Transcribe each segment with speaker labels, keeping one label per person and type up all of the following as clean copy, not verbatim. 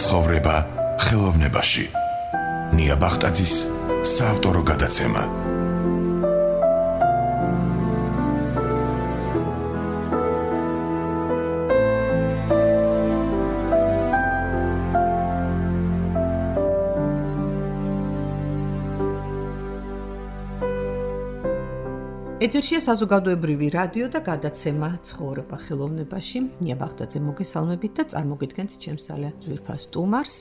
Speaker 1: ცხოვრება ხელოვნებაში. ნია ბახტაძის საავტორო გადაცემა.
Speaker 2: ეთერშია საზოგადოებრივი რადიო და გადაცემა ცხოვრება ხელოვნებაში. ნია ბახტაძე მოგესალმებით და წარმოგიდგენთ ჩემს ძალიან ძვირფას სტუმარს,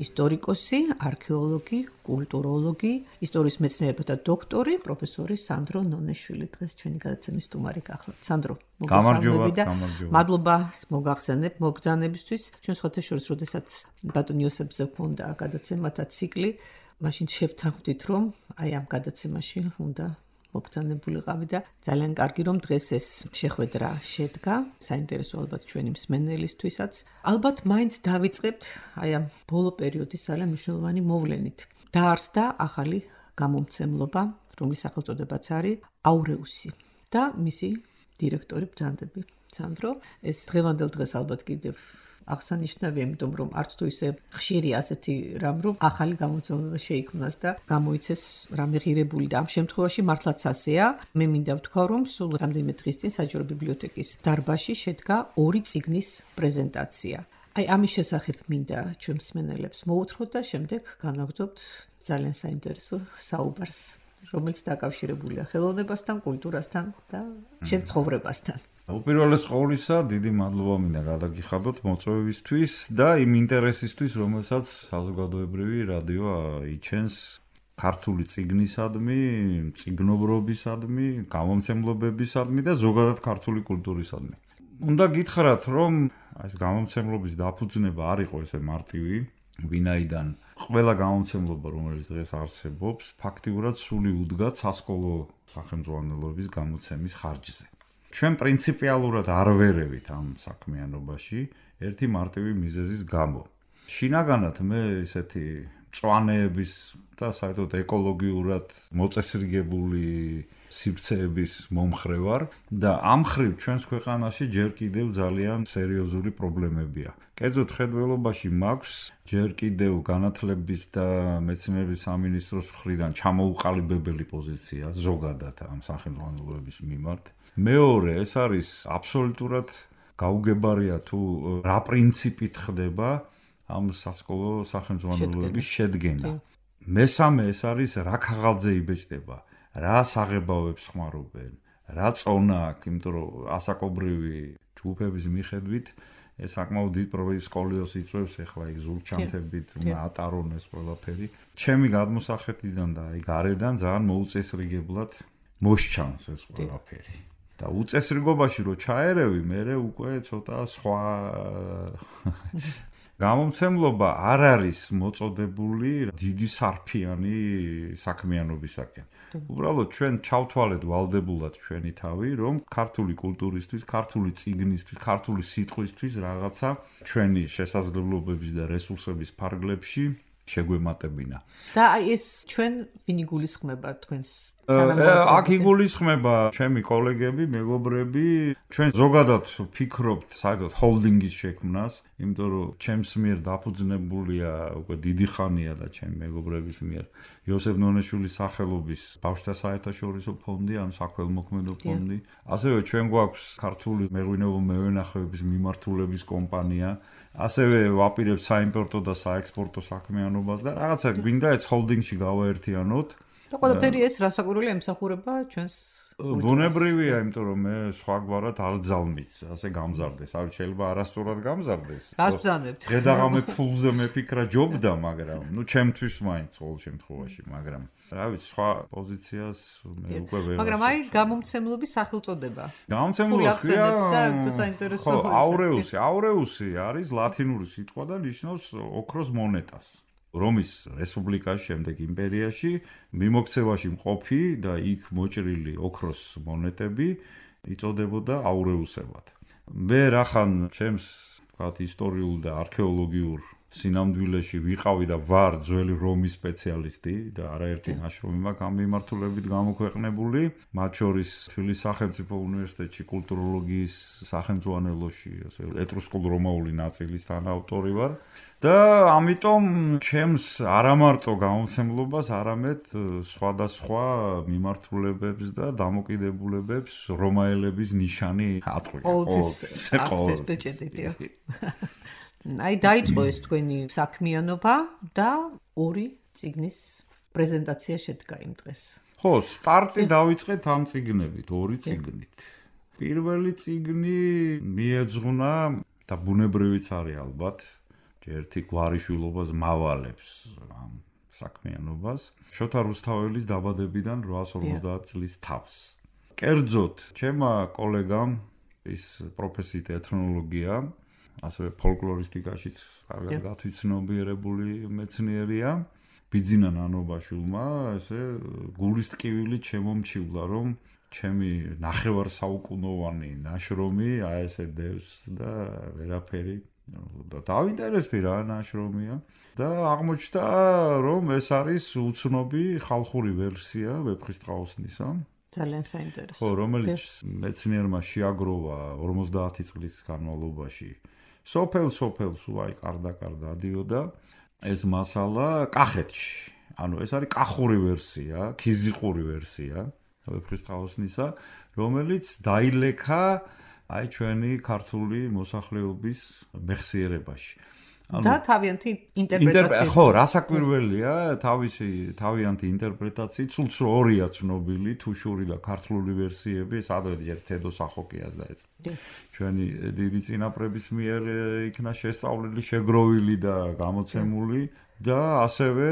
Speaker 2: ისტორიკოსი, არქეოლოგი, კულტუროლოგი, ისტორიის მეცნიერებათა დოქტორი, პროფესორი სანდრო ნონეშვილი. დღეს ჩვენი გადაცემის სტუმარი გახლავთ. სანდრო, მოგესალმებით და მადლობა მოგახსენებ მოგზანებისთვის. ჩვენ სხვათა შორის, როდესაც ბატონ იოსებზე გქონდა გადაცემათა ციკლი, მაშინ შევთანხმდით, რომ აი ამ გადაცემაში უნდა მოგზანებულიყავი და ძალიან კარგი რომ დღეს ეს შეხვედრა შედგა, საინტერესო ალბათ ჩვენი მსმენელისთვისაც. ალბათ მაინც დავიწყებთ აი ამ ბოლო პერიოდის ძალიან მნიშვნელოვანი მოვლენით. დაარსდა ახალი გამომცემლობა, რომლის სახელწოდებაც არის აურეუსი და მისი დირექტორი ბრძანდები. სანდრო, ეს დღევანდელ დღეს ალბათ კიდევ აღსანიშნავია, იმიტომ რომ არც თუ ისე ხშირი ასეთი რამ, რომ ახალი გამომცემლობა შეიქმნას და გამოიცეს რამე ღირებული და ამ შემთხვევაში მართლაც ასეა. მე მინდა ვთქვა, რომ სულ რამდენიმე დღის წინ საჯარო ბიბლიოთეკის დარბაზში შედგა 2 წიგნის პრეზენტაცია. აი ამის შესახებ მინდა ჩვენ მსმენელებს მოუთხროთ და შემდეგ განვაგრძობთ ძალიან საინტერესო საუბარს, რომელიც დაკავშირებულია ხელოვნებასთან, კულტურასთან და შენ ცხოვრებასთან.
Speaker 3: უპირველეს ყოვლისა, დიდი მადლობა მინდა გადაგიხადოთ მოწვევისთვის და იმ ინტერესისთვის, რომელსაც საზოგადოებრივი რადიო იჩენს ქართული წიგნისადმი, წიგნობრობისადმი, გამომცემლობებისადმი და ზოგადად ქართული კულტურისადმი. უნდა გითხრათ, რომ ეს გამომცემლობის დაფუძნება არ იყო ესე მარტივი, ვინაიდან ყველა გამომცემლობა, რომელიც დღეს არსებობს, ფაქტიურად სული უდგა სასკოლო სახელმძღვანელოების გამოცემის ხარჯზე. ჩვენ პრინციპიალურად არ ვერევით ამ საქმიანობაში ერთი მარტივი მიზეზის გამო. შინაგანად მე ესეთი მწვანეების და საერთოდ ეკოლოგიურად მოწესრიგებული სივრცეების მომხრე ვარ და ამ მხრივ ჩვენს ქვეყანაში ჯერ კიდევ ძალიან სერიოზული პრობლემებია. კერძოდ ხედველობაში მაქვს ჯერ კიდევ განათლების და მეცნიერების სამინისტროს მხრიდან ჩამოუყალიბებელი პოზიცია ზოგადად ამ სახელმძღვანელოების მიმართ. მეორე, ეს არის აბსოლუტურად გაუგებარია თუ რა პრინციპით ხდება ამ სასკოლო სახელმძღვანელოების შედგენა. მესამე, ეს არის რა ქაღალდზე იბეჭდება, რა საღებავებს ხმარობენ, რა წონა აქვს, იმიტომ რომ ასაკობრივი ჯგუფების მიხედვით ეს საკმაოდ დიდ პრობლემას სკოლიოს იწვევს, ეხლა იქ ზურგჩანთებით უნდა ატარონ ეს ყველაფერი. ჩემი გადმოსახედიდან და აი გარედან ძალიან მოუწესრიგებლად მოსჩანს ეს ყველაფერი. და უწესრიგობაში რო ჩაერევი, მე უკვე ცოტა სხვა გამომცემლობა არ არის მოწოდებული დიდი სარფიანი საქმიანობისაკენ. უბრალოდ ჩვენ ჩავთვალეთ ვალდებულად ჩვენი თავი, რომ ქართული კულტურისთვის, ქართული წიგნისთვის, ქართული სიტყვისთვის რაღაცა ჩვენი შესაძლებლობების და რესურსების ფარგლებში შეგვემატებინა.
Speaker 2: და აი ეს ჩვენ ვინ იგულისხმება თქვენს
Speaker 3: აქ იგულისხმება ჩემი კოლეგები, მეგობრები, ჩვენ ზოგადად ფიქრობთ საერთოდ ჰოლდინგის შექმნას, იმიტომ რომ ჩემს მიერ დაფუძნებულია უკვე დიდი ხანია და ჩემი მეგობრების მიერ იოსებ ნონეშვილის სახელობის ბავშვთა საერთაშორისო ფონდი, ან საქველმოქმედო ფონდი. ასევე ჩვენ გვაქვს ქართული მეღვინეობა-მევენახეობის მიმართულების კომპანია, ასევე ვაპირებთ საიმპორტო და საექსპორტო საქმიანობას და რაღაცა გვინდა ეს ჰოლდინგში გავაერთიანოთ.
Speaker 2: და ყველაფერი ეს რასაკვირველია ემსახურება ჩვენს
Speaker 3: ბუნებრივია, იმიტომ რომ მე სხვაგვარად არ ძალმიც ასე გამზარდეს. არ შეიძლება არასწორად გამზარდეს.
Speaker 2: რას ვძანებთ?
Speaker 3: დღე-დაღამე ფულზე მეფიქრა ჯობდა, მაგრამ ჩემთვის მაინც ყოველ შემთხვევაში, მაგრამ რა ვიცი, სხვა პოზიციას მე უკვე ვერ.
Speaker 2: მაგრამ აი გამომცემლობის სახელწოდება.
Speaker 3: გამომცემლობია
Speaker 2: და საინტერესო.
Speaker 3: აურეუსი არის ლათინური სიტყვა და ნიშნავს ოქროს მონეტას. რომის რესპუბლიკას შემდეგ იმპერიაში მიმოქცევაში მყოფი და იქ მოჭრილი ოქროს მონეტები იწოდებოდა აურეუსებად. მე რახან ჩემს ისტორიულ და არქეოლოგიურ სინამდვილეში ვიყავი და ვარ ძველი რომის სპეციალისტი და არაერთი ნაშრომი მაქვს ამ მიმართულებით გამოქვეყნებული, მათ შორის თბილისის სახელმწიფო უნივერსიტეტში კულტუროლოგიის სახელმძღვანელოში, ასე ეტრუსკულ-რომაული ნაწილის თანაავტორი ვარ და ამიტომ ჩემს არამარტო გამოცემლობას, არამედ სხვადასხვა მიმართულებებს და დამოკიდებულებებს რომაელების ნიშანი ატყვია.
Speaker 2: ყოველთვის ბეჭედია. აი დაიწყო ეს თქვენი საქმიანობა და ორი წიგნის პრეზენტაცია შედგა იმ დღეს.
Speaker 3: ხო, სტარტი დავიწყეთ ამ წიგნებით, ორი წიგნით. პირველი წიგნი მიეძღვნა და ბუნებრივიც არის ალბათ, ერთი გვარიშვილობას მავალებს ამ საქმიანობას. შოთა რუსთაველის დაბადებიდან 850 წლის თავს. კერძოდ, ჩემმა კოლეგამ ის პროფესიით ეთნოლოგია, ასევე ფოლკლორისტიკაშიც კარგად გათვითცნობიერებული მეცნიერია. ბიძინა ნანობაშვილმა ესე გულის ტკივილი შემომჩივლა, რომ ჩემი ნახევარსაუკუნოვანი ნაშრომი აი ესე დევს და ვერაფერი და დავინტერესდი რა ნაშრომია და აღმოჩნდა, რომ ეს არის უცნობი ხალხური ვერსია ვეფხისტყაოსნისა.
Speaker 2: ძალიან საინტერესო.
Speaker 3: ხო, რომელიც მეცნიერმა შეაგროვა 50 წლის განმავლობაში. სოფელს უაი კარდა დადიოდა ეს მასალა კახეთში. ანუ ეს არის კახური ვერსია, ქიზიყური ვერსია ვეფხისტყაოსნისა, რომელიც დაილექა აი ჩვენი ქართული მოსახლეობის მეხსიერებაში.
Speaker 2: და თავიანთი ინტერპრეტაცია.
Speaker 3: ხო, რასაკვირველია, თავიანთი ინტერპრეტაციით, სულ ორია ცნობილი, თუშური და ქართული ვერსიები, სადღაც თედო სახოკიას და ეს. ჩვენი დიდი წინაპრების მიერ იქნა შესწავლილი, შეგროვილი და გამოცემული და ასევე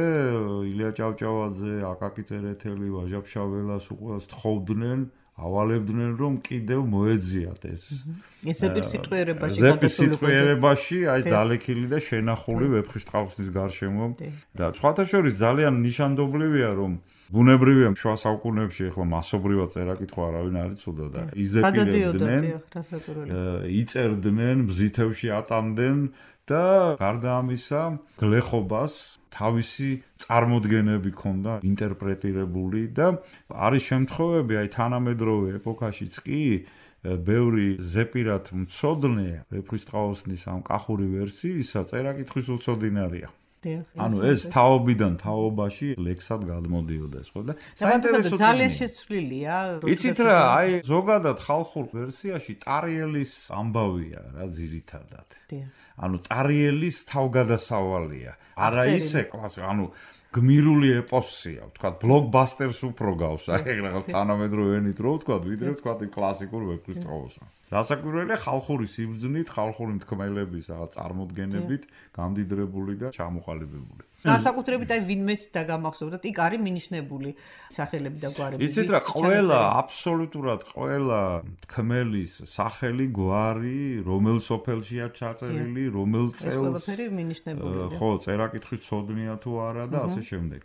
Speaker 3: ილია ჭავჭავაძე, აკაკი წერეთელი, ვაჟა-ფშაველას უყურს თხოვდნენ, ავალებდნენ, რომ კიდევ მოეძიათ ეს. ზეპირსიტყვიერებაში აი დალექილი და შენახული ვეფხისტყაოსნის გარშემო და სხვათა შორის ძალიან ნიშანდობლივია, რომ ბუნებრივია შუა საუკუნეებში ახლა მასობრივად წერა-კითხვა არავინ არ იცოდა და იზეპირებდნენ, იწერდნენ, ბზითევში ატამდნენ და გარდა ამისა გლეხობას თავისი წარმოდგენები ჰქონდა ინტერპრეტირებული და არის შემთხვევები აი თანამედროვე ეპოქაშიც კი ბევრი ზეპირად მცოდნე ვეფხისტყაოსნის ამ კახური ვერსიისა წერა-კითხვის უცოდინარია. ანუ ეს თაობიდან თაობაში ლექსად გადმოდიოდა ხო და
Speaker 2: საინტერესო ძალიან შეცვლილია.
Speaker 3: იცით რა, აი ზოგადად ხალხურ ვერსიაში ტარიელის ამბავია რა ძირითადად. ანუ ტარიელის თავგადასავალია. არა ისე კლასიკა, ანუ გმირული ეპოსია, ვთქვათ, ბლოკბასტერს უფრო გავს, აი რაღაც თანამედროვე ენით რო ვთქვათ, ვიდრე ვთქვათ კლასიკურ ვეფხისტყაოსნს. რასაკვირველია, ხალხური სიბრძნით, ხალხური თქმელების რაღაც წარმოდგენებით გამდიდრებული და ჩამოყალიბებული.
Speaker 2: განსაკუთრებით აი ვინმეს დაგამახსოვრდათ, იქ არის მინიშნებული სახელები და გვარები.
Speaker 3: იცით რა, ყველა აბსოლუტურად ყველა თქმელის სახელი, გვარი, რომელ სოფელშია ჩაწერილი, რომელ წელს.
Speaker 2: ეს ყველაფერი მინიშნებულია.
Speaker 3: ხო, წერა-კითხვის ცოდნია თუ არა და ასე შემდეგ.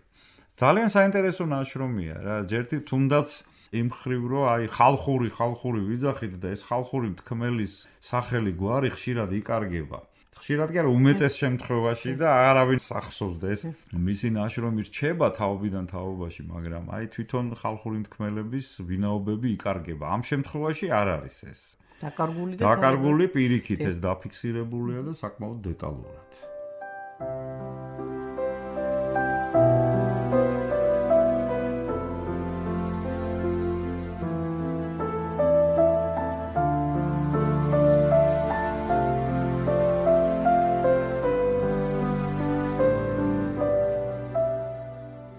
Speaker 3: ძალიან საინტერესო ნაშრომია რა, ჯერთი თუნდაც იმ ხრივ რომ აი ხალხური ვიძახით და ეს ხალხური თქმელის სახელი გვარი ხშირად იკარგება. ხშირად კი არა უმეტეს შემთხვევაში და არავინ ახსოვს და ეს მისი ნაშრომი რჩება თაობიდან თაობაში, მაგრამ აი თვითონ ხალხური თქმელების ვინაობები იკარგება. ამ შემთხვევაში არ არის ეს. დაკარგული პირიქით ეს დაფიქსირებულია და საკმაოდ დეტალურად.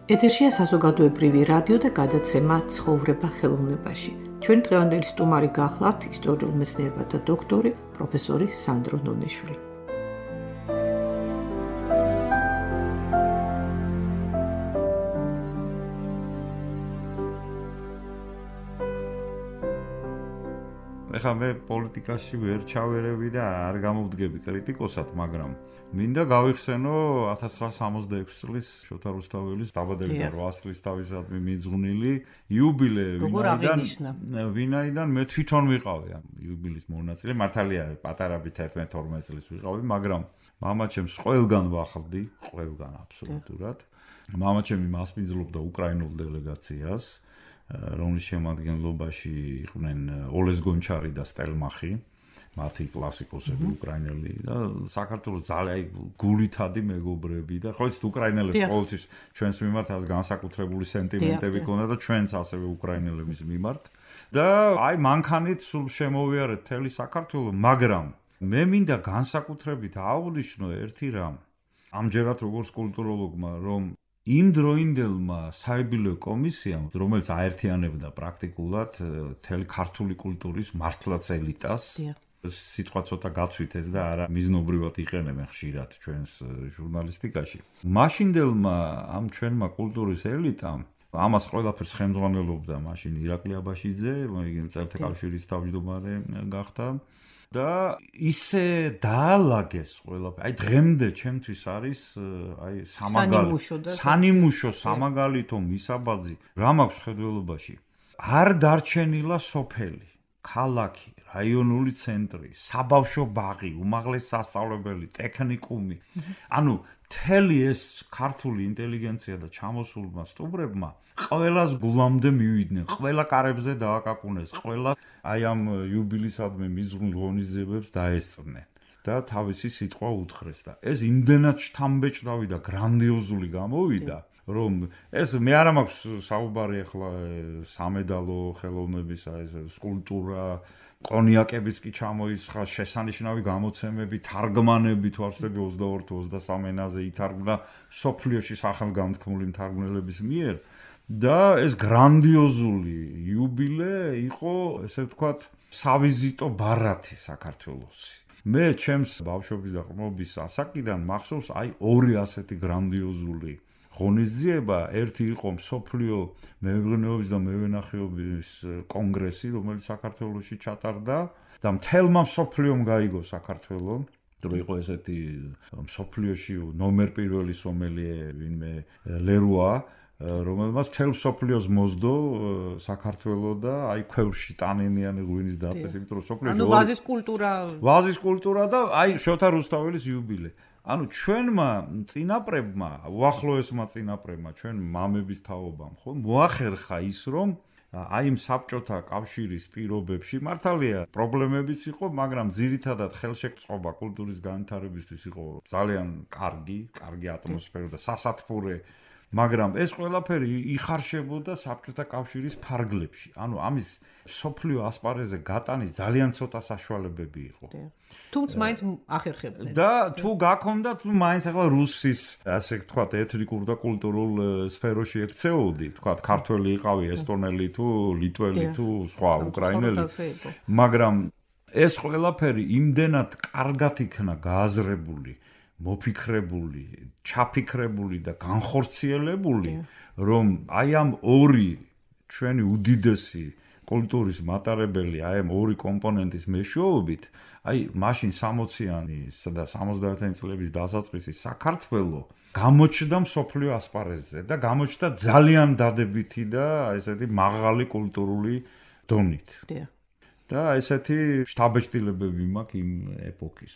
Speaker 2: ეთერშია საზოგადოებრივი რადიო და გადაცემა ცხოვრება ხელოვნებაში. ჩვენ დღევანდელი სტუმარი გახლავთ ისტორიულ მეცნიერებათა დოქტორი პროფესორი სანდრო ნონეშვილი.
Speaker 3: ეხლა მე პოლიტიკაში ვერ ჩავერევი და არ გამოვდგები კრიტიკოსად, მაგრამ მინდა გავიხსენო 1966 წლის შოთა რუსთაველის დაბადებიდან 800 წლის თავისადმი მიძღვნილი იუბილე, ვინაიდან მე თვითონ ვიყავი ამ იუბილის მონაწილე, მართალია პატარებით 11-12 წლის ვიყავი, მაგრამ მამაჩემს ყველგან ვახდი, ყველგან აბსოლუტურად. მამაჩემი მასპინძლობდა უკრაინულ დელეგაციას, რომლის შემადგენლობაში იყვნენ ოლეს გონჩარი და სტელმახი, მათი კლასიკოსები უკრაინელი და საქართველოს ძალიან გულითადი მეგობრები და ხო იცით უკრაინელებს ყოველთვის ჩვენს მიმართ ას განსაკუთრებული სენტიმენტები ქონდა და ჩვენც ასევე უკრაინელების მიმართ და აი მანქანით სულ შემოვიარეთ მთელი საქართველო, მაგრამ მე მინდა განსაკუთრებით აღვნიშნო ერთი რამ ამჯერად როგორც კულტუროლოგმა, რომ იმ დროინდელმა საიუბილეო კომისიამ, რომელიც აერთიანებდა პრაქტიკულად მთელი ქართული კულტურის მართლაც ელიტას, სიტყვა ცოტა გაცვითეს და არა მიზნობრივად იყენებენ ხშირად ჩვენს ჟურნალისტიკაში. მაშინდელმა ამ ჩვენმა კულტურის ელიტამ ამას ყველაფერს ხელმძღვანელობდა მაშინ ირაკლი აბაშიძე, მწერთა კავშირის თავმჯდომარე გახდა და ისე დაალაგეს ყველაფერი. აი დღემდე ჩემთვის არის აი სანიმუშო სამაგალითო მისაბაძი რა მაქვს ხედველობაში. არ დარჩენილა სოფელი, ქალაქი, რაიონული ცენტრი, საბავშვო ბაღი, უმაღლესი სასწავლებელი, ტექნიკუმი. ანუ მთელი ეს ქართული ინტელიგენცია და ჩამოსულმა სტუმრებმა ყველას გულამდე მივიდნენ, ყველა კარებზე დააკაკუნეს, ყველა აი ამ იუბილისადმი მიზღვნილ ღონისძიებებს დაესწრნენ და თავისი სიტყვა უთხრეს და ეს იმდენად შთამბეჭდავი და გრანდიოზული გამოვიდა, რომ ეს მე არ მაქვს საუბარი ახლა სამედალო ხელოვნების ეს სკულპტურა კონიაკებიც კი ჩამოისხა, შესანიშნავი გამოცემები, თარგმანები თვარსები 22-23 ენაზე ითარგმნა სოფლიოში სახელგანთქმული მთარგმნელების მიერ და ეს გრანდიოზული იუბილე იყო, ესე ვთქვათ, სავიზიტო ბარათი საქართველოსი. მე ჩემს ბავშვობის და ყრმობის ასაკიდან მახსოვს აი ორი ასეთი გრანდიოზული ღონისძიება, ერთი იყო მსოფლიო მეღვინეობის და მევენახეობის კონგრესი, რომელიც საქართველოში ჩატარდა და მთელმა მსოფლიომ გაიგო საქართველო, რომ იყო ესეთი მსოფლიოში ნომერ პირველი სომელიე ვინმე ლერუა, რომელმაც მთელ მსოფლიოს მოსდო საქართველო და აი ქვევრში ტანენიანი ღვინის დაწეს, იმიტომ რომ მსოფლიოში
Speaker 2: ანუ
Speaker 3: ვაზის კულტურა და აი შოთა რუსთაველის იუბილე. ანუ ჩვენმა წინაპრებმა, უახლოესმა წინაპრებმა, ჩვენ მამების თაობამ, ხო, მოახერხა ის, რომ აი იმ საბჭოთა კავშირის პირობებში მართალია პრობლემებიც იყო, მაგრამ ძირითადად ხელშეკწყობა კულტურის განვითარებისთვის იყო ძალიან კარგი ატმოსფერო და სასათბურე, მაგრამ ეს ყველაფერი იხარშებოდა საბჭოთა კავშირის ფარგლებში. ანუ ამის სოფლიო ასპარეზზე გატანის ძალიან ცოტა საშუალებები იყო.
Speaker 2: თუმცა მაინც ახერხებდნენ.
Speaker 3: და თუ გაქონდა, თუ მაინც ახლა რუსის, ასე ვთქვათ, ეთნიკურ და კულტურულ სფეროში ექცეოდი, ვთქვათ, ქართველი იყავი, ესტონელი თუ ლიტველი თუ სხვა უკრაინელი. მაგრამ ეს ყველაფერი იმდენად კარგად იქნა გააზრებული, მოფიქრებული, ჩაფიქრებული და განხორციელებული, რომ აი ამ ორი ჩვენი უდიდესი კულტურის მატარებელი, აი ამ ორი კომპონენტის მეშვეობით, აი მაშინ 60-იანი და 70-იანი წლების დასაწყისი საქართველო გამოჩნდა მსოფლიო ასპარეზზე და გამოჩნდა ძალიან დადებითი და ესეთი მაღალი კულტურული დონით. და ესეთი შთაბეჭდილებები მაქვს იმ ეპოქის.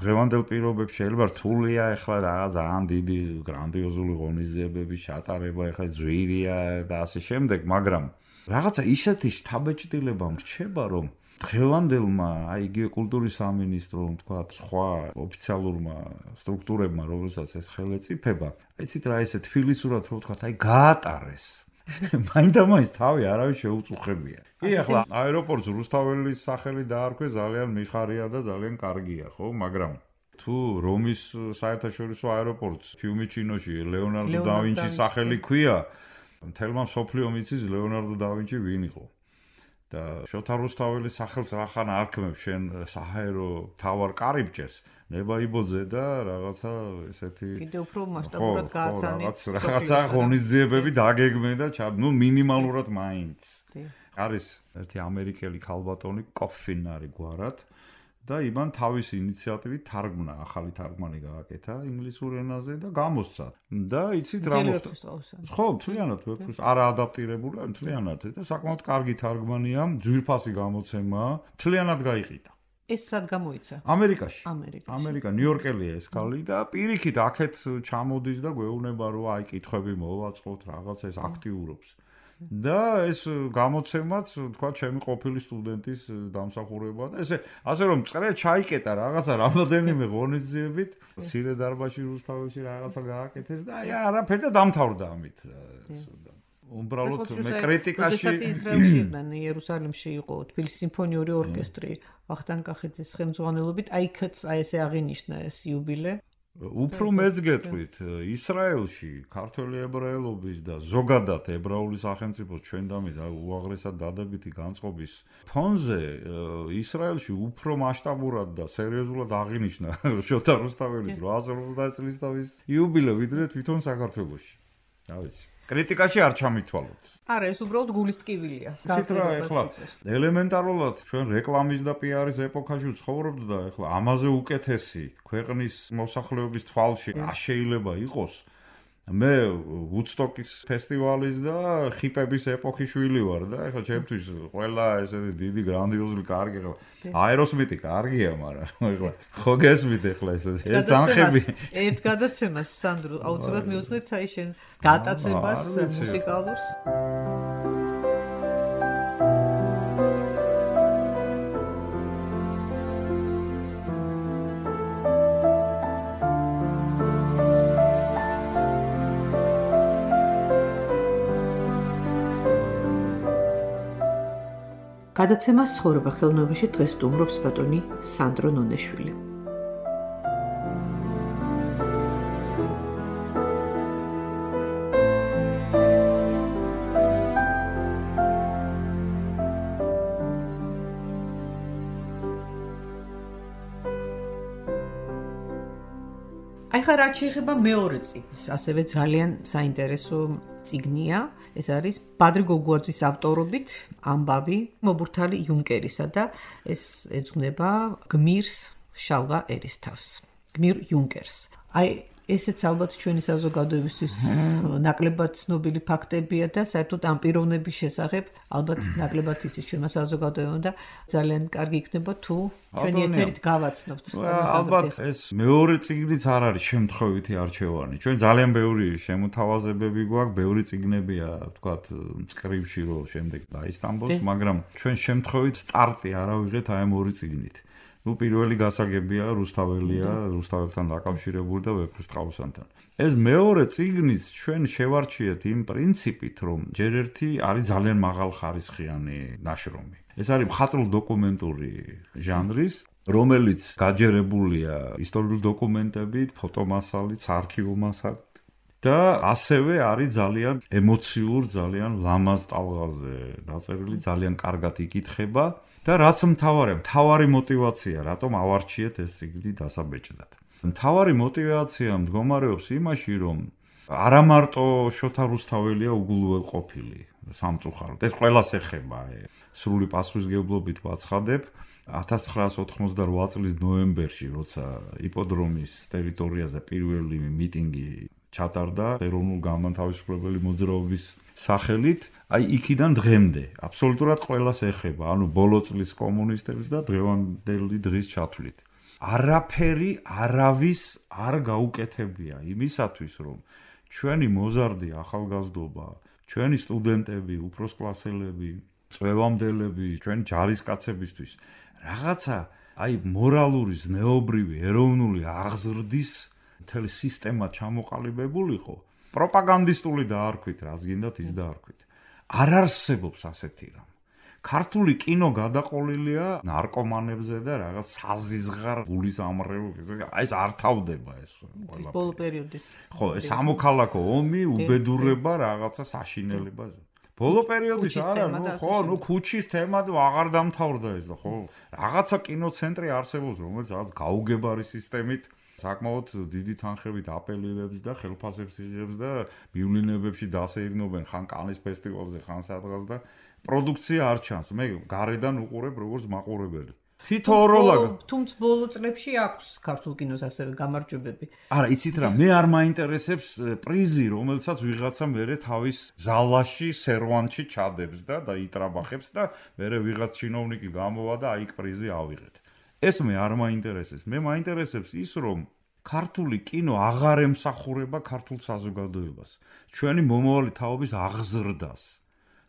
Speaker 3: დღევანდელ პირობებში შეიძლება რთულია ეხლა რაღაც ძალიან დიდი გრანდიოზული ღონისძიებების ჩატარება, ეხლა ძვირია და ასე შემდეგ, მაგრამ რაღაცა ისეთი შთაბეჭდილება მრჩება, რომ დღევანდელმა იგივე კულტურის სამინისტრომ, თქვა, სხვა ოფიციალურმა სტრუქტურებმა, რომელსაც ეს ხელეწიფება, იცით რა ესე თბილისურად რო ვთქვა, გაატარეს. მაინდა-მაინც თავი არავის შეუწუხებია. კი, ახლა აეროპორტს რუსთაველის სახელი დაარქვეს, ძალიან მიხარია და ძალიან კარგია, ხო, მაგრამ თუ რომის საერთაშორისო აეროპორტს ფიუმიჩინოში ლეონარდო და ვინჩის სახელი ქვია, მთელმა მსოფლიომ იცის ლეონარდო და ვინჩი ვინ იყო. და შოთა რუსთაველის სახელს რახან არქმევ შენ საჰაერო თავარ კარიბჭეს ნებაიბოძე და რაღაცა ესეთი
Speaker 2: კიდე უფრო მასშტაბურად გააცანით
Speaker 3: რაღაცა ღონისძიებები დაგეგმე და ნუ მინიმალურად მაინც არის ერთი ამერიკელი ქალბატონი კოფინ არის გვარად და იმან თავისი 인იციატივით თარგმნა ახალი თარგმანი გააკეთა ინგლისურ ენაზე და გამოსცა და იცით რა მოხდა ხო მთლიანად ვეფხვის არა ადაპტირებული მთლიანად და საკმაოდ კარგი თარგმანია ძვირფასი გამოცემაა მთლიანად გაიყიდა
Speaker 2: ეს სად გამოიცა
Speaker 3: ამერიკა ნიუ-იორკელია ეს ქალი და პირიქით აქეთ ჩამოდის და გვეუბნება რომ აი კითხვები მოვაწყოთ რაღაცა ეს აქტიურობს და ეს გამოცემაც თქვა ჩემი ყოფილი სტუდენტის დამსახურებაა და ესე ასე რომ წრე ჩაიკეტა რაღაცა რამოდენიმე ღონისძიებით მცირე დარბაზში რუსთაველში რაღაცა გააკეთეს და აი არაფერი და დამთავრდა ამით უბრალოდ მე კრიტიკაში
Speaker 2: როდესაც ისრაელში იყვნენ იერუსალიმში იყო თბილისის სიმფონიური ორკესტრი ვახტანგ კახიძის ხელმძღვანელობით აი ესე აღინიშნა ეს იუბილე
Speaker 3: უფრო მეც გეტყვით ისრაელში ქართველი ებრაელობის და ზოგადად ებრაული სახელმწიფოს ჩვენ დამის უაღრესად დადებითი განწყობის ფონზე ისრაელში უფრო მასშტაბურად და სერიოზულად აღინიშნა შოთა რუსთაველის 850 წლისთავის იუბილე ვიდრე თვითონ საქართველოში რა ვიცი კრიტიკაში არ ჩამითვალოთ.
Speaker 2: არა, ეს უბრალოდ გულის ტკივილია.
Speaker 3: ისეთ რა ეხლა ელემენტარულად ჩვენ რეკლამის და პიარის ეპოქაში ვცხოვრობთ და ეხლა ამაზე უკეთესი ქვეყნის მოსახლეობის თვალში შეიძლება იყოს. მე ვუდსტოკის ფესტივალის და ხიპების ეპოქის შვილი ვარ და ეხლა ჩემთვის ყველა ესეთი დიდი გრანდიოზული კარგი ეხლა აეროსმიტი კარგია, მაგრამ ეხლა ხო გესმით ეხლა ეს თანხები
Speaker 2: ერთ გადაცემას სანდრო აუცილებლად მიუძღვნით აი შენს გატაცებას მუსიკალურს გადაცემას ცხოვრება ხელოვნებაში დღეს სტუმრობს ბატონი სანდრო ნონეშვილი. აი ხა რაც შეეხება მეორე წიგნს, ასევე ძალიან საინტერესო წიგნია. ეს არის ბადრი გოგუაძის ავტორობით ამბავი მობურთალი იუნკერისა და ეს ეძღვნება გმირს შალვა ერისთავს. გმირ იუნკერს. აი ესეც ალბათ ჩვენი საზოგადოებისთვის ნაკლებად ცნობილი ფაქტებია და საერთოდ ამ პიროვნების შესახებ ალბათ ნაკლებად იცის ჩვენმა საზოგადოებამ და ძალიან კარგი იქნება თუ ჩვენი ეთერით გავაცნობთ.
Speaker 3: ალბათ ეს მეორე წიგნიც არ არის შემთხვევითი არჩევანი. ჩვენ ძალიან ბევრი შემოთავაზებები გვაქვს, ბევრი წიგნებია, ვთქვათ, მწკრივში რომ შემდეგ დაისტამბოს, მაგრამ ჩვენ შემთხვევით სტარტი არ ავიღეთ აი ამ ორი წიგნით. ნუ პირველი გასაგებია რუსთაველია, რუსთაველთან დაკავშირებული და ვეფხვის ტყავოსანთან. ეს მეორე წიგნიც ჩვენ შევარჩიეთ იმ პრინციპით, რომ ჯერ ერთი არის ძალიან მაღალხარისხიანი ნაშრომი. ეს არის მხატვრულ-დოკუმენტური ჟანრის, რომელიც გაჯერებულია ისტორიული დოკუმენტებით, ფოტომასალით, არქივულ მასალით და ასევე არის ძალიან ემოციურ, ძალიან ლამაზ ტალღაზე დაწერილი, ძალიან კარგად იკითხება. და რაც მთავარი мотиваცია, რატომ ავარჩიეთ ეს წიგნი დასაბეჭდად. მთავარი мотиваცია მდგომარეობს იმაში, რომ არა მარტო შოთა რუსთაველია უგულუელყოფილი სამწუხაროდ. ეს ყველას ეხება. სრული პასუხისმგებლობით ვაცხადებ 1988 წლის ნოემბერში, როცა იპოდრომის ტერიტორიაზე პირველი მიტინგი ჩატარდა ეროვნულ განმათავისუფლებელი მოძრაობის სახელით, აი იქიდან დღემდე აბსოლუტურად ყველას ეხება, ანუ ბოლო წლის კომუნისტებს და დღევანდელი დღის ჩათვლით. არაფერი არავის არ გაუკეთებია იმისათვის, რომ ჩვენი მოზარდი ახალგაზრდობა, ჩვენი სტუდენტები, უფროსკლასელები, წვევამდელები, ჩვენი ჯარისკაცებისთვის რაღაცა მორალური, ზნეობრივი, ეროვნული აღზრდის მთელი სისტემა ჩამოყალიბებულიყო, პროპაგანდისტული დაარქვით, რას გინდათ ის დაარქვით. არ არსებობს ასეთი რამ. ქართული კინო გადაყოლილია ნარკომანებზე და რაღაც საზიზღარ გულის ამრევლებზე. ეს არ თავდება ეს ყველა.
Speaker 2: ბოლო პერიოდის.
Speaker 3: ხო, ეს სამოქალაქო ომი, უბედურება, რაღაცა საშინელება. ბოლო პერიოდის არა, ხო, ქუჩის თემა აღარ დამთავრდა ეს და ხო, რაღაცა კინოცენტრი არსებობს, რომელიც რაღაც გაუგებარი სისტემით საკმაოდ დიდი თანხებით აპელირებს და ხელფასებს იღებს და მივლინებებში დასეირნობენ ხან კანის ფესტივალზე, ხან სადღაც და პროდუქცია არ ჩანს. მე გარედან უყურებ როგორც მაყურებელი.
Speaker 2: თუმცა ბოლო წლებში აქვს ქართულ კინოს ასევე გამარჯვებები.
Speaker 3: არა, იცით რა, მე არ მაინტერესებს პრიზი, რომელსაც ვიღაცა მერე თავის ზალაში, სერვანტში ჩადებს და იტრაბახებს და მერე ვიღაც ჩინოვნიკი გამოვა და აიქ პრიზი ავიღეთ. ეს მე არ მაინტერესებს. მე მაინტერესებს ის, რომ ქართული კინო აღარ ემსახურება ქართულ საზოგადოებას. ჩვენი მომავალი თაობის აღზრდას.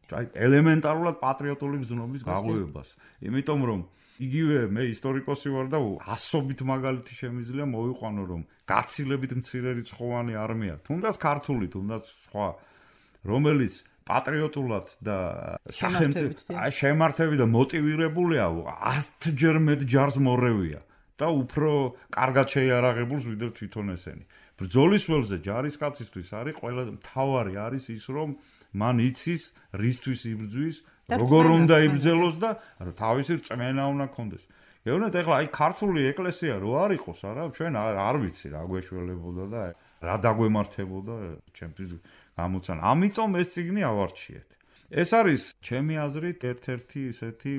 Speaker 3: ელემენტარულად პატრიოტული ბრძნობის გაღვივებას. იმიტომ რომ იგივე მე ისტორიკოსი ვარ და ასობით მაგალითი შემიძლია მოვიყვანო, რომ გაცილებით მცირე რიცხოვანი არმია, თუნდაც ქართული, თუნდაც სხვა, რომელიც პატრიოტულად და შემართებით და მოტივირებულია 100-ჯერ მეტ ჯარს მორევია და უფრო კარგად შეიარაღებულს ვიდრე თვითონ ესენი. ბრძოლის ველზე ჯარისკაცისთვის არის ყველაზე მთავარი არის ის, რომ მან იცის რისთვის იბრძვის, როგორ უნდა იბრძელოს და თავისი რწმენა უნდა ქონდეს. გეუბნეთ, ეხლა ქართული ეკლესია რო არ იყოს, არა, ჩვენ არ ვიცი რა გვეშველებოდა და რა დაგვემართებოდა ჩემთვის გამოცანა. ამიტომ ეს წიგნი ავარჩიეთ. ეს არის ჩემი აზრით ერთ-ერთი ისეთი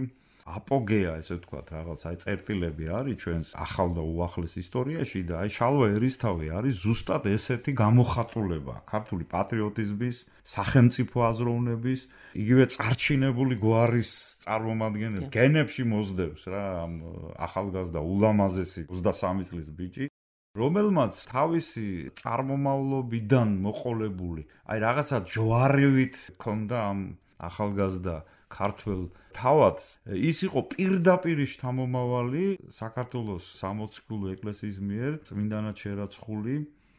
Speaker 3: აპოგეა, ესე ვთქვათ, რაღაც წერტილები არის ჩვენს ახალ და უახლეს ისტორიაში და შალვა ერისთავი არის ზუსტად ესეთი გამოხატულება ქართული პატრიოტიზმის, სახელმწიფო აზროვნების, იგივე წარჩინებული გვარის წარმომადგენელი გენებში მოძდებს რა ამ ახალგაზრდა ულამაზესი 23 წლის ბიჭი, რომელმაც თავისი წარმომავლობიდან მოყოლებული, რაღაცა ჯვარევით ქონდა ამ ახალგაზრდა ქართველ თავადს, ის იყო პირდაპირ შთამომავალი საქართველოს 60-გულო ეკლესიის მიერ წმინდანად შერაცხული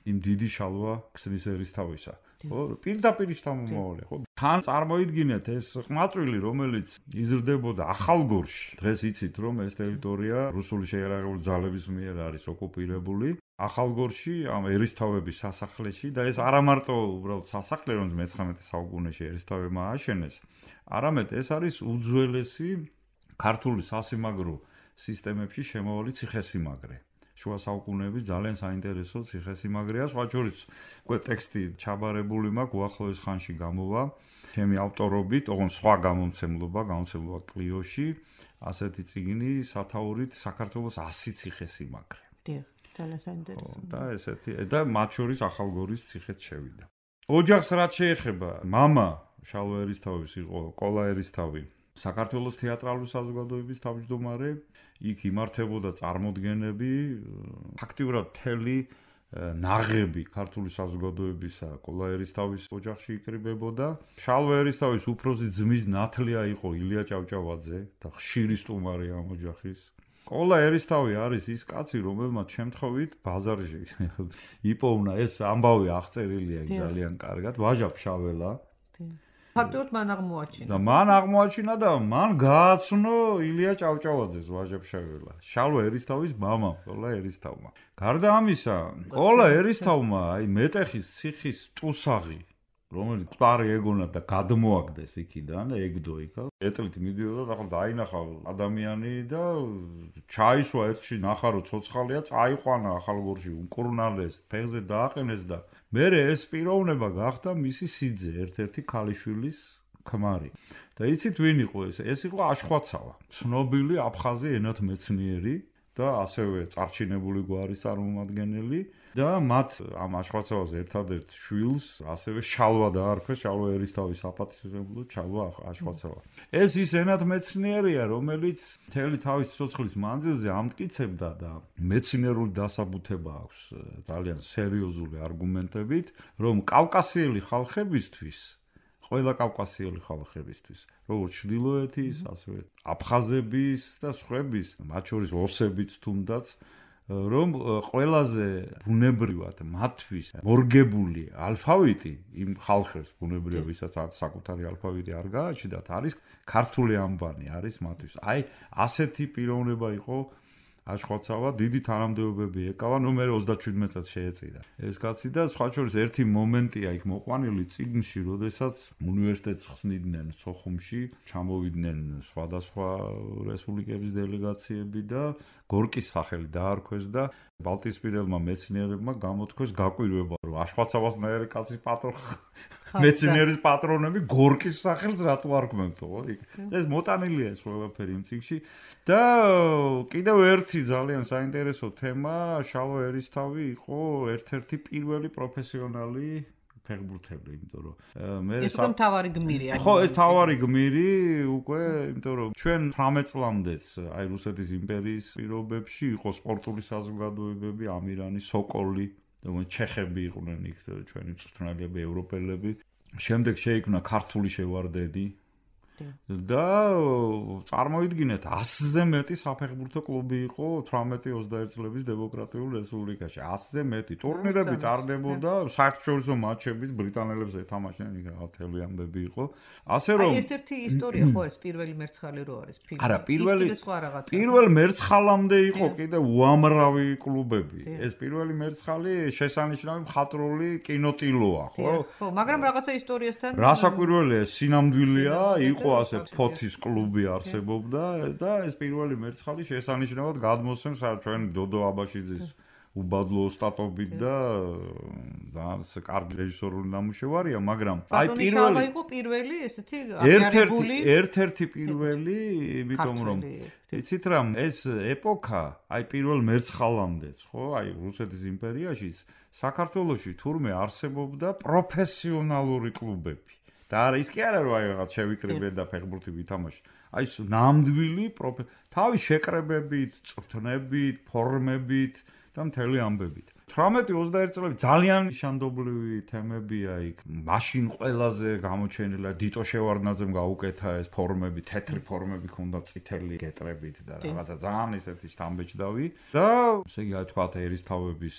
Speaker 3: იმ დიდი შალვა ქსნის ერისთავისა. ხო, პირდაპირ შთამომავალი, ხო? თან წარმოიდგინეთ ეს ყმაწვილი, რომელიც იზრდებოდა ახალგორში. დღეს იცით, რომ ეს ტერიტორია რუსული შეიარაღებული ძალების მიერ არის ოკუპირებული. ახალგორში ამ ერისთავების სასახლეში და ეს არა მარტო უბრალოდ სასახლე, რომელიც მე-19 საუკუნეში ერისთავებმა ააშენეს, არამედ ეს არის უძველესი ქართული სასიმაგრო სისტემებში შემავალი ციხესიმაგრე. შუა საუკუნეების ძალიან საინტერესო ციხესიმაგრეა, სხვა შორის უკვე ტექსტი ჩაბარებული მაქვს, უახლოეს ხანში გამოვა ჩემი ავტორობით, ოღონდ სხვა გამომცემლობა კლიოში, ასეთი წიგნი სათაურით საქართველოს 100 ციხესიმაგრე.
Speaker 2: დიახ, ძალიან საინტერესო.
Speaker 3: და ესეთი და მათ შორის ახალგორის ციხეც შევიდა. ოჯახს რაც შეეხება, მამა შალვა ერისთავის იყო კოლა ერისთავი, საქართველოს თეატრალური საზოგადოების თავმჯდომარე, იქ იმართებოდა წარმოდგენები, ფაქტიურად მთელი ნაღები ქართული საზოგადოებისა კოლა ერისთავის ოჯახში იკრიბებოდა. შალვა ერისთავის უფროსი ძმის ნათლია იყო ილია ჭავჭავაძე და ხშირი სტუმარი ამ ოჯახის. კოლა ერისთავი არის ის კაცი, რომელმაც შემთხვევით ბაზარში იპოვნა ეს ამბავი აღწერილია ძალიან კარგად, ვაჟა ფშაველა.
Speaker 2: ფაქტობრივად მან აღმოაჩინა.
Speaker 3: და მან აღმოაჩინა და მან გააცნო ილია ჭავჭავაძეს ვაჟა ფშაველა. შალვა ერისთავის მამამ, კოლა ერისთავმა. გარდა ამისა, კოლა ერისთავმა მეტეხის ციხის ტუსაღი, რომელიც მყარი ეგონა და გადმოაგდეს იქიდან და ეგდო იქა. ეტლით მიდიოდა და დაინახა ადამიანი და ჩაისვა ერთში ნახარო ცოცხალია, წაიყვანა ახალგორში, უკურნალეს, ფეხზე დააყენეს და მერე ეს პიროვნება გახდა მისი სიძე, ერთ-ერთი ქალიშვილის ქმარი. და იცით ვინ იყო ეს? ეს იყო აშხვაცავა, ცნობილი აფხაზი ენათმეცნიერი და ასევე წარჩინებული გვარის წარმომადგენელი. და მათ ამ აშხვაცავას ერთადერთ შვილს ასევე შალვა დაარქვეს, შალვა ერისთავის საპატისმებლად, შალვა აშხვაცავა. ეს ის ენათმეცნიერია, რომელიც მთელი თავის სიცოცხლის მანძილზე ამტკიცებდა და მეცნიერული დასაბუთება აქვს ძალიან სერიოზული არგუმენტებით, რომ კავკასიელი ხალხებისთვის ყველა კავკასიელი ხალხებისთვის, როგორც ჩრდილოეთის, ასევე აფხაზების და სხვების, მათ შორის ოსებიც თუნდაც, რომ ყველაზე ბუნებრივად მათთვის მორგებული ალფავიტი იმ ხალხებს ბუნებრივად, ვისაც საკუთარი ალფავიტი არ გააჩნდათ, არის ქართული ანბანი, არის მათთვის. აი, ასეთი პიროვნება იყო აშხვაცავა, დიდი თანამდებობები ეკავა, ნუ მე 37 წელს შეეწირა. ეს კაცი და სხვა შორის ერთი მომენტია იქ მოყვანილი წიგნში, როდესაც უნივერსიტეტს ხსნიდნენ სოხუმში, ჩამოვიდნენ სხვადასხვა რესპუბლიკების დელეგაციები და გორკის სახელი დაარქვეს და ბალტიისპირელმა მეცნიერებმა გამოთქვეს გაკვირვება, რომ აშხვაცავასნაირი კაცის მეცნიერის პატრონები გორკის სახელს რატო არქმევთო? ეს მოტანილია ეს ყველაფერი იმ წიგნში და კიდევ ერთი ძალიან საინტერესო თემა, შალვა ერისთავი იყო ერთ-ერთი პირველი პროფესიონალი ფეხბურთელი, იმიტომ რომ მე
Speaker 2: ეს უკვე მთავარი გმირი არის.
Speaker 3: ხო, ეს მთავარი გმირი უკვე, იმიტომ რომ ჩვენ 18 წლამდეც აი რუსეთის იმპერიის პირობებში იყო სპორტული საზოგადოებები, ამირანი, სოკოლი, ჩეხები იყვნენ იქ, ჩვენი მწვრთნელები, ევროპელები. შემდეგ შეიქმნა ქართული შევარდენი და წარმოიდგინეთ 100-ზე მეტი საფეხბურთო კლუბი იყო 18-21 წლების დემოკრატიულ რესპუბლიკაში. 100-ზე მეტი ტურნირები ტარდებოდა, საერთაშორისო მატჩების ბრიტანელებს ეთამაშნენ, იქ მთელი ამბები იყო. ასე რომ
Speaker 2: ერთ-ერთი ისტორია ხო ეს პირველი მერცხალი რო არის ფილმი.
Speaker 3: არა, პირველ მერცხალამდე იყო კიდე უამრავი კლუბები. ეს პირველი მერცხალი შესანიშნავი მხატვრული კინოტილოა, ხო?
Speaker 2: ხო, მაგრამ რაღაცა ისტორიასთან
Speaker 3: რასაკვირველია, სინამდვილეა, იყო ასე ფოთის კლუბი არსებობდა და ეს პირველი მერცხალი შესანიშნავად გადმოსცემს ჩვენ დოდო აბაშიძის უბადლო ოსტატობით და კარგი რეჟისორული ნამუშევარია, მაგრამ
Speaker 2: აი პირველი იყო პირველი ესეთი აღიარებული
Speaker 3: ერთ-ერთი პირველი, იმიტომ რომ იცით რა, ეს ეპოქა, აი პირველ მერცხალამდეც, ხო, აი რუსეთის იმპერიაშიც საქართველოში თურმე არსებობდა პროფესიონალური კლუბები. და არა ის კი არა რომ აი რაღაც შევიკრიბე და ფეხბურთი ვითამაშე. აი ეს ნამდვილი თავის შეკრებებით, წვრთნებით, ფორმებით და მთელი ამბებით. 18-21 წლები ძალიან შანდობლივი თემებია იქ. მაშინ ყველაზე გამოჩენილი დიტო შევარდნაძემ გაუკეთა ეს ფორმები, თეთრი ფორმები ქონდა წითელი გეტრებით და რაღაცა ძალიან ისეთი შთამბეჭდავი. და ესე იგი თქვათ ერისთავების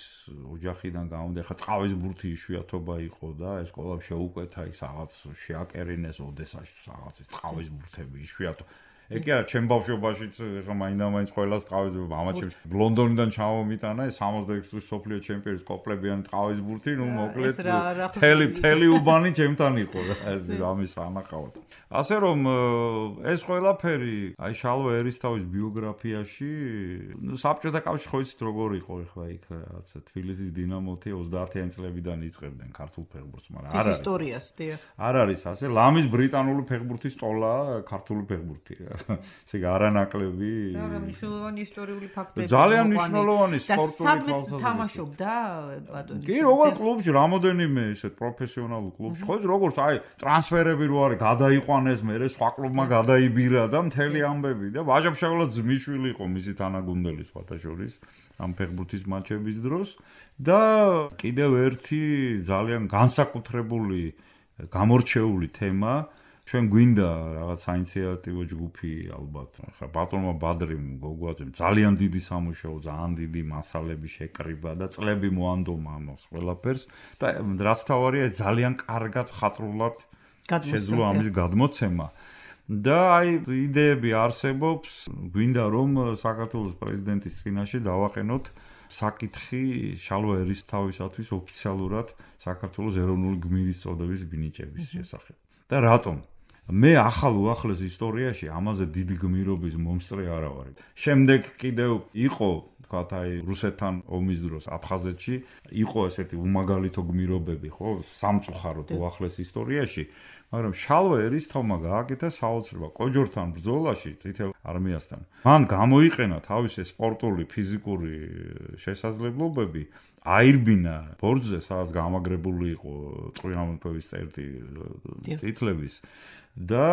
Speaker 3: ოჯახიდან გამომდა, ხა წყავის ბურთი იშვიათობა იყო და ეს ყველა შეუკეთა იქ რაღაც შეაკერინეს ოდესაში რაღაცის წყავის ბურთები იშვიათო. ეგ არა, ჩემ ბავშვობაშიც ხა მაინდა-მაინც ყველას ტყავის ამაჩემს ლონდონიდან ჩამომიტანა ეს 66 წლის სოფლიო ჩემპიონის კოპლებიანი ტყავის ბურთი, ნუ მოკლედ თელი უბანი ჩემთან იყო რა ეს ამის ანახავად. ასე რომ ეს ყველაფერი აი შალვა ერისთავის ბიოგრაფიაში საბჭოთა კავშირში ხო იცით როგორ იყო ხა იქ რაღაცა თბილისის დინამოთი 30-იანი წლებიდან იწყებდნენ ქართულ ფეხბურთს, მაგრამ არ არის
Speaker 2: ისტორიას, დიახ.
Speaker 3: არ არის ასე, ლამის ბრიტანული ფეხბურთის ტოლა ქართული ფეხბურთი. ესე იგი არანაკლები
Speaker 2: მნიშვნელოვანი ისტორიული ფაქტები
Speaker 3: ძალიან მნიშვნელოვანი სპორტული
Speaker 2: თვალსაზრისით თამაშობდა ბატონი
Speaker 3: კი როგორ კლუბში რამოდენიმე ესეთ პროფესიონალურ კლუბში ხო როგორც აი ტრანსფერები რო არის გადაიყვანეს მერე სხვა კლუბმა გადაიბირა და მთელი ამბები და ვაჟა-ფშაველას ძმისშვილი იყო მისი თანაგუნდელი სხვათა შორის ამ ფეხბურთის მატჩების დროს და კიდევ ერთი ძალიან განსაკუთრებული გამორჩეული თემა ჩვენ გვინდა რაღაც საინიციატივო ჯგუფი ალბათ ხა ბატონმა ბადრიმ გოგოაძემ ძალიან დიდი სამუშაო, ძალიან დიდი მასალები შეკრიბა და წლები მოანდომა ამას ყველაფერს და რაც თავარია ძალიან კარგად ხატრულად შეძლო ამის გადმოცემა და აი იდეები არსებობს, გვინდა რომ საქართველოს პრეზიდენტის წინაშე დავაყენოთ საკითხი შალვა ერისთავისათვის ოფიციალურად საქართველოს ეროვნული გმირის წოდების მინიჭების შესახებ. და რატომ? მე ახალ უახლეს ისტორიაში ამაზე დიდი გმირობის მომსწრე არა ვარ. შემდეგ კიდევ იყო თქვათ აი რუსეთთან ომის დროს აფხაზეთში იყო ესეთი უმაგალითო გმირობები, ხო, სამწუხაროდ უახლეს ისტორიაში, მაგრამ შალვა ერისთავმა გააკეთა საოცრება კოჯორთან ბრძოლაში წითელ არმიასთან. მან გამოიყენა თავისი სპორტული, ფიზიკური შესაძლებლობები, აირბინა ბორჯზე, სადაც გამაგრებული იყო წვიმამფების წერტი წითლების და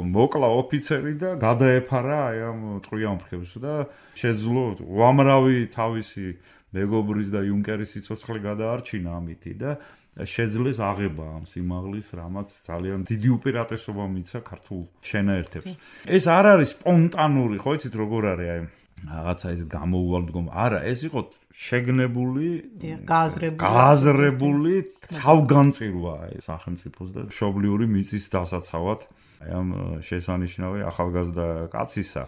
Speaker 3: მოკლა ოფიცერი და გადაეფარა აი ამ წვიმამფებს და შეძლო უამრავი თავისი მეგობრის და იუნკერის სიცოცხლე გადაარჩინა ამითი და შეძლეს აღება ამ სიმაღლის, რამაც ძალიან დიდი უპირატესობა მიცა ქართულ შენაერთებს. ეს არ არის სპონტანური, ხო იცით როგორ არის აი რაღაცა ისეთ გამოუვალდგომ. არა, ეს იყო შეგნებული, გააზრებული თავგანწირვა აი სახელმწიფოს და მშობლიური მიწის დასაცავად აი ამ შესანიშნავი ახალგაზრდა კაცისა.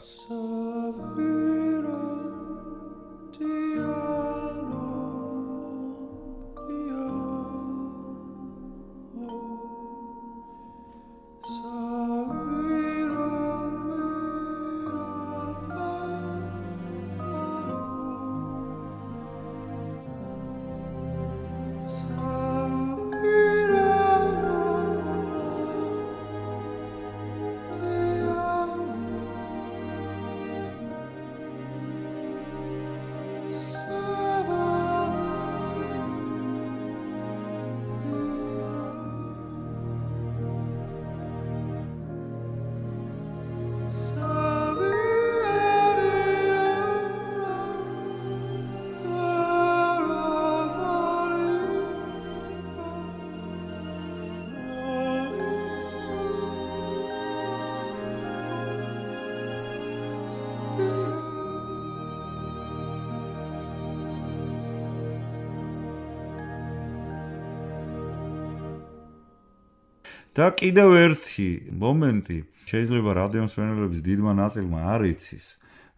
Speaker 3: და კიდევ ერთი მომენტი შეიძლება რადიომსმენელების დიდმა ნაწილმა არ იცის,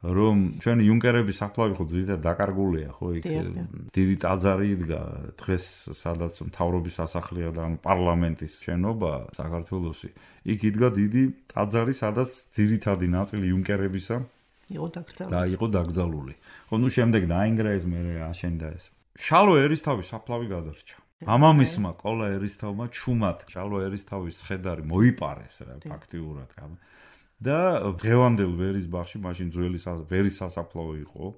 Speaker 3: რომ ჩვენი იუნკერების საფლავი ხო ძირითადად დაკარგულია, ხო იქ დიდი ტაძარი იდგა დღეს, სადაც მთავრობის სასახლეა და პარლამენტის შენობა საქართველოსი. იქ იდგა დიდი ტაძარი, სადაც ძირითადი ნაწილი იუნკერებისა იყო დაკრძალული. ხო, ნუ შემდეგ დაინგრა ეს, მე აშენდა ეს. შალვა ერისთავის საფლავი გადარჩა. მამამისმა კოლა ერისთავმა ჩუმად შალვა ერისთავის ცხედარი მოიპარეს რა ფაქტიურად და დღევანდელ ვერის ბაღში მაშინ ძველი ვერის სასაფლაო იყო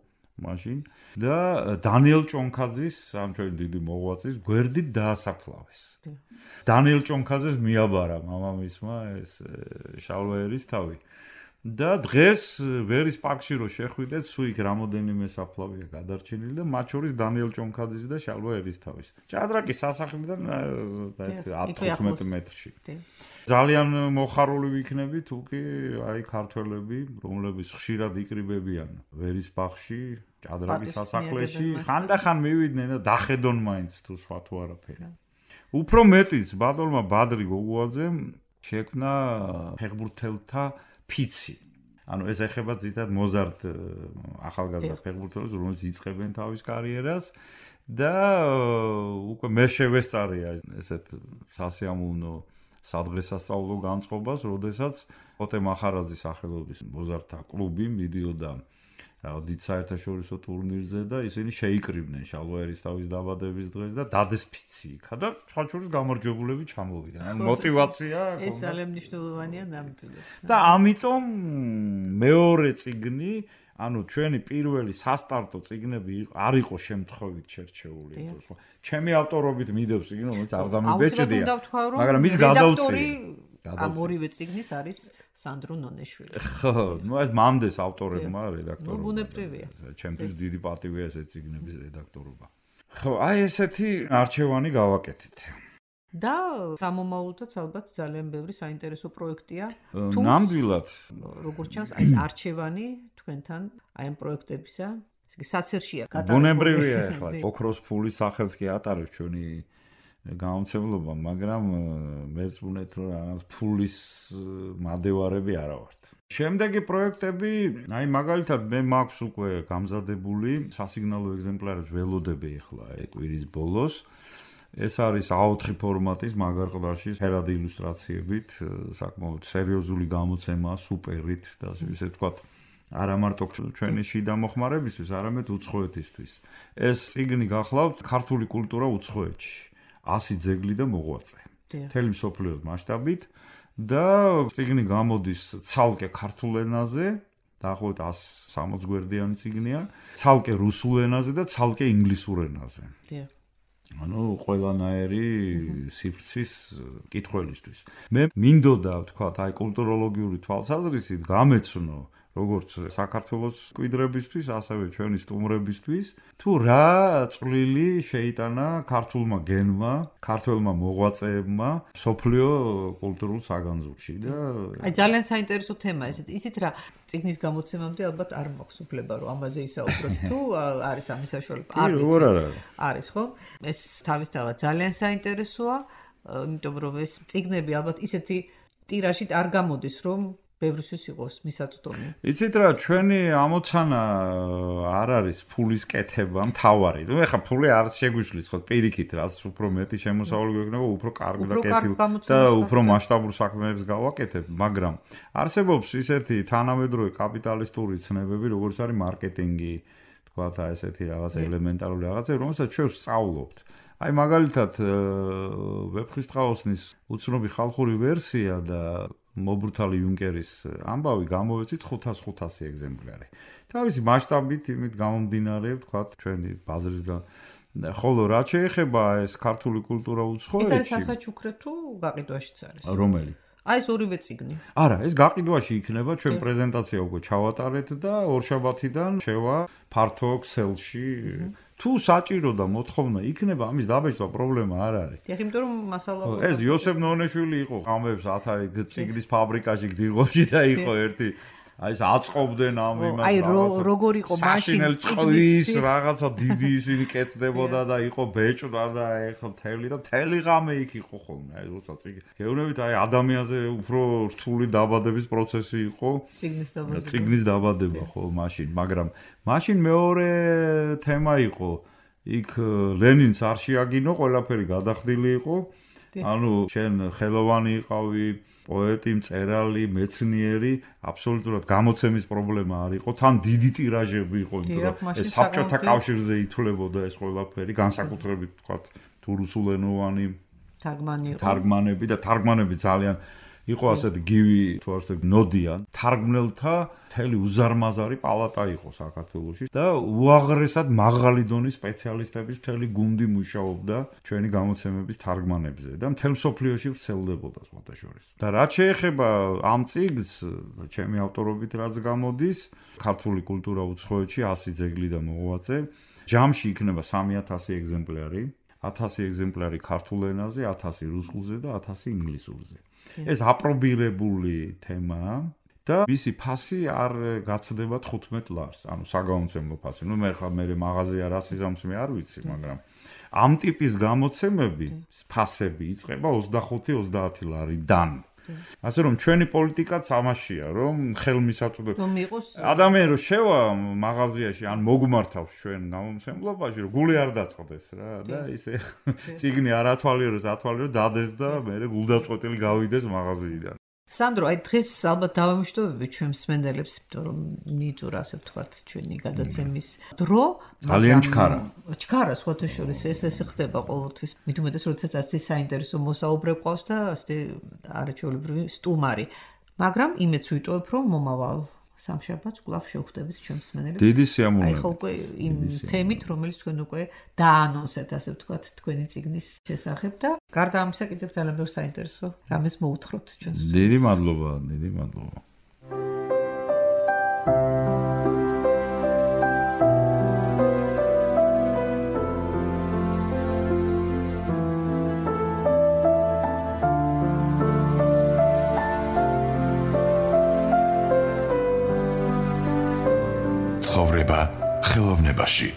Speaker 3: მაშინ და დანიელ ჭონქაძის ამ ჩვენი დიდი მოღვაწის გვერდით დაასაფლავეს. დანიელ ჭონქაძეს მიაბარა მამამისმა ეს შალვა ერისთავი და დღეს ვერის პარკში რო შეხვიდეთ, სულ იქ რამოდენიმე საფლავია გადარჩენილი და მათ შორის დანიელ ჭონქაძის და შალვა ერისთავის. ჭადრაკის სასახლიდან 10-15 მეტრში. ძალიან მოხარული ვიქნები თუ კი აი ქართველები, რომლებიც ხშირად იკრიბებიან ვერის ბაღში, ჭადრაკის სასახლეში, ხანდახან მივიდნენ და დახედონ მაინც თუ სხვა თუ არაფერი. უფრო მეტიც ბატონმა ბადრი გოგუაძემ შექმნა ფეხბურთელთა ფიცი. ანუ ეს ეხება ძირითადად მოზარდ ახალგაზრდა ფეხბურთელებს, რომლებიც იწყებენ თავის კარიერას და უკვე მე შევესწარია ესეთ სასიამოვნო სადღესასწაულო განწყობას, როდესაც ოტე მახარაძის სახელობის მოზარდთა კლუბი მიდიოდა დიდ საერთაშორისო ტურნირზე და ისინი შეიკრიბნენ შალვა ერისთავის დაბადების დღეს და დადეს ფიცი იქა და სხვა შორის გამარჯვებულები ჩამოვიდნენ. ანუ мотиваცია
Speaker 2: ეს ძალიან მნიშვნელოვანია ნამდვილად.
Speaker 3: და ამიტომ მეორე წიგნი, ანუ ჩვენი პირველი სასტარტო წიგნები არ იყო შემთხვევით შერჩეული. ჩემი ავტორობით მიდევს წიგნი, რომელიც არ დამიბეჭდია, მაგრამ ის გადავწიე. ამ
Speaker 2: ორივე წიგნის არის სანდრო ნონეშვილი.
Speaker 3: ხო, ნუ ეს მამდეს ავტორებმა რედაქტორობა.
Speaker 2: ბუნებრივია.
Speaker 3: ჩემთვის დიდი პატივია ეს წიგნების რედაქტორობა. ხო, აი ესეთი არჩევანი გავაკეთეთ.
Speaker 2: და სამომავლოდაც ალბათ ძალიან ბევრი საინტერესო პროექტია.
Speaker 3: ნამდვილად.
Speaker 2: როგორც ჩანს, აი ეს არჩევანი თქვენთან აი ამ პროექტებისა, ესე იგი საცერშია
Speaker 3: გატარებული. ბუნებრივია ახლა. ოქროს ფულის სახელს კი ატარებს ჩვენი გამომცემლობა, მაგრამ მერწმუნეთ რომ რაღაც ფულის მადევარები არა ვართ. შემდეგი პროექტები, აი მაგალითად მე მაქვს უკვე გამზადებული სასიგნალო ეგზემპლარებს ველოდები ახლა კვირის ბოლოს. ეს არის A4 ფორმატის მაგარ ყდარში ფერადი ილუსტრაციებით, საკმაოდ სერიოზული გამოცემა, სუპერით და ისე ვთქვათ, არა მარტო ჩვენი შიდა მოხმარებისთვის, არამედ უცხოეთისთვის. ეს წიგნი გახლავთ ქართული კულტურა უცხოეთში. 100 ძეგლი და მოღვაწე. მთელი მსოფლიოს მასშტაბით და წიგნი გამოდის ცალკე ქართულ ენაზე, დაახლოებით 160 გვერდიანი წიგნია, ცალკე რუსულ ენაზე და ცალკე ინგლისურ ენაზე. ანუ ყველანაირი სიფრცის კითხველისთვის. მე მინდოდა ვთქვათ, აი კულტუროლოგიური თვალსაზრისით გამეცნო როგორც საქართველოს კვიდრებისთვის, ასევე ჩვენი სტუმრებისთვის, თუ რა წვლილი შეიტანა ქართულმა გენმა, ქართველმა მოღვაწეებმა სოფლიო კულტურულ საგანძურში და
Speaker 2: აი ძალიან საინტერესო თემაა ესეთ. ისიც რა წიგნის გამოცემამდე ალბათ არ მაქვს უფლება რომ ამაზე ისაუბროთ თუ არის ამის საშუალება. არის ხო? ეს თავისთავად ძალიან საინტერესოა, იმიტომ რომ ეს წიგნები ალბათ ისეთი ტირაჟით არ გამოდის რომ ბევრისთვის იყოს მისაწვდომი.
Speaker 3: იცით რა, ჩვენი ამოცანა არ არის ფულის კეთება მთავარი. ნუ ეხლა ფული არ შეგვიშლის ხო პირიქით, რაც უფრო მეტი შემოსავალი გვექნება, უფრო კარგი და კეთილი და უფრო მასშტაბურ საქმეებს გავაკეთებ, მაგრამ არსებობს ისეთი თანამედროვე კაპიტალისტური ცნებები, როგორც არის მარკეტინგი, თქვათ აი ესეთი რაღაც ელემენტარული რაღაცები, რომელსაც ჩვენ ვსწავლობთ. აი მაგალითად ვეფხისტყაოსნის უცნობი ხალხური ვერსია და მობრთალი იუნკერის ამბავი გამოვეცით 500 ეგზემპლარი. თავისი მასშტაბით იმით გამომდინარე, ვთქვათ, ჩვენი ბაზრისგან. ხოლო რა შეეხება ეს ქართული კულტურა უცხოეთში?
Speaker 2: ეს არის სასაჩუქრე თუ გაყიდვაშიც არის?
Speaker 3: რომელი?
Speaker 2: აი ეს ორივე წიგნი.
Speaker 3: არა, ეს გაყიდვაში იქნება, ჩვენ პრეზენტაცია უკვე ჩავატარეთ და ორშაბათიდან შევა ფართო ქსელში. თუ საჭირო და მოთხოვნა იქნება, ამის დაბეჭდა პრობლემა არ არის.
Speaker 2: დიახ, იმიტომ რომ მასალა
Speaker 3: ეს იოსებ ნონეშვილი იყო, ამებს 1000 წიგნის ფაბრიკაში გდიღოში და იყო ერთი აი ეს აწყობდნენ ამ იმას.
Speaker 2: აი როგორ იყო მაშინ
Speaker 3: წიგნის რაღაცა დიდი ისინი კეთდებოდა და იყო ბეჭდა და ეხლა მთელი ღამე იქ იყო ხოლმე. აი როცა გეუბნებით აი ადამიანზე უფრო რთული დაბადების პროცესი იყო. წიგნის დაბადება ხო მაშინ, მაგრამ მაშინ მეორე თემა იყო. იქ ლენინს არ შეაგინო, ყველაფერი გადახდილი იყო. ანუ შენ ხელოვანი იყავი, პოეტი, მწერალი, მეცნიერი, აბსოლუტურად გამოცემის პრობლემა არ იყო. თან დიდი ტირაჟები იყო, იმიტომ რომ ეს საბჭოთა კავშირზე ითვლებოდა ეს ყველაფერი, განსაკუთრებით თქვათ თუ რუსულენოვანი თარგმანები და თარგმანები ძალიან იყო ასეთი გივი თუ ასე ნოდიან. თარგმნელთა მთელი უზარმაზარი პალატა იყო საქართველოში და უაღრესად მაღალი დონის სპეციალისტების მთელი გუნდი მუშაობდა ჩვენი გამოცემების თარგმანებზე და მთელ მსოფლიოში ვრცელდებოდა სხვათაშორის. და რაც შეეხება ამ წიგნს, ჩემი ავტორობით რაც გამოდის, ქართული კულტურა უცხოეთში 100 ძეგლი და მოღვაწე, ჯამში იქნება 3000 ეგზემპლარი, 1000 ეგზემპლარი ქართულ ენაზე, 1000 რუსულზე და 1000 ინგლისურზე. ეს აპრობირებული თემაა და მისი ფასი არ გაცდება 15 ლარს, ანუ საგამომცემლო ფასი. ნუ მე ხა მე მაღაზია რა სიზამს მე არ ვიცი, მაგრამ ამ ტიპის გამოცემები ფასები იწყება 25-30 ლარიდან. ასე რომ ჩვენი პოლიტიკაც ამაშია, რომ ხელმისაწვდომი ადამიანი რომ შევა მაღაზიაში ან მოგმართავს ჩვენ გამომცემლობაში, რომ გული არ დაწყდეს რა და ისე წიგნი არ ათვალიეროს, დადეს და მე გულდაწყვეტილი გავიდეს მაღაზიიდან.
Speaker 2: სანდრო, აი დღეს ალბათ დავამშვიდობები ჩვენ მსმენელებს, იმიტომ რომ ნიჭურა ასე ვთქვათ ჩვენი გადაცემის დრო
Speaker 3: ძალიან ჩქარა.
Speaker 2: ჩქარა სხვათა შორის ეს ხდება ყოველთვის. მით უმეტეს როდესაც ასე საინტერესო მოსაუბრე ყავს და ასე არაჩვეულებრივი სტუმარი. მაგრამ იმეც ვიტოვებ, რომ მომავალ სამშაბათს კვლავ შევხვდებით ჩვენ მსმენელებს.
Speaker 3: დიდი სიამოვნებით.
Speaker 2: აი ხო უკვე იმ თემით, რომელიც თქვენ უკვე დაანონსეთ, ასე ვთქვათ, თქვენი წიგნის შესახებ და გარდა ამისა კიდევ ძალიან ბევრ საინტერესო რამეს მოუთხრობთ ჩვენს.
Speaker 3: დიდი მადლობა, დიდი მადლობა.
Speaker 1: ცხოვრება ხელოვნებაში.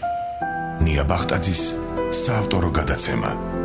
Speaker 1: ნია ბახტაძის საავტორო გადაცემა.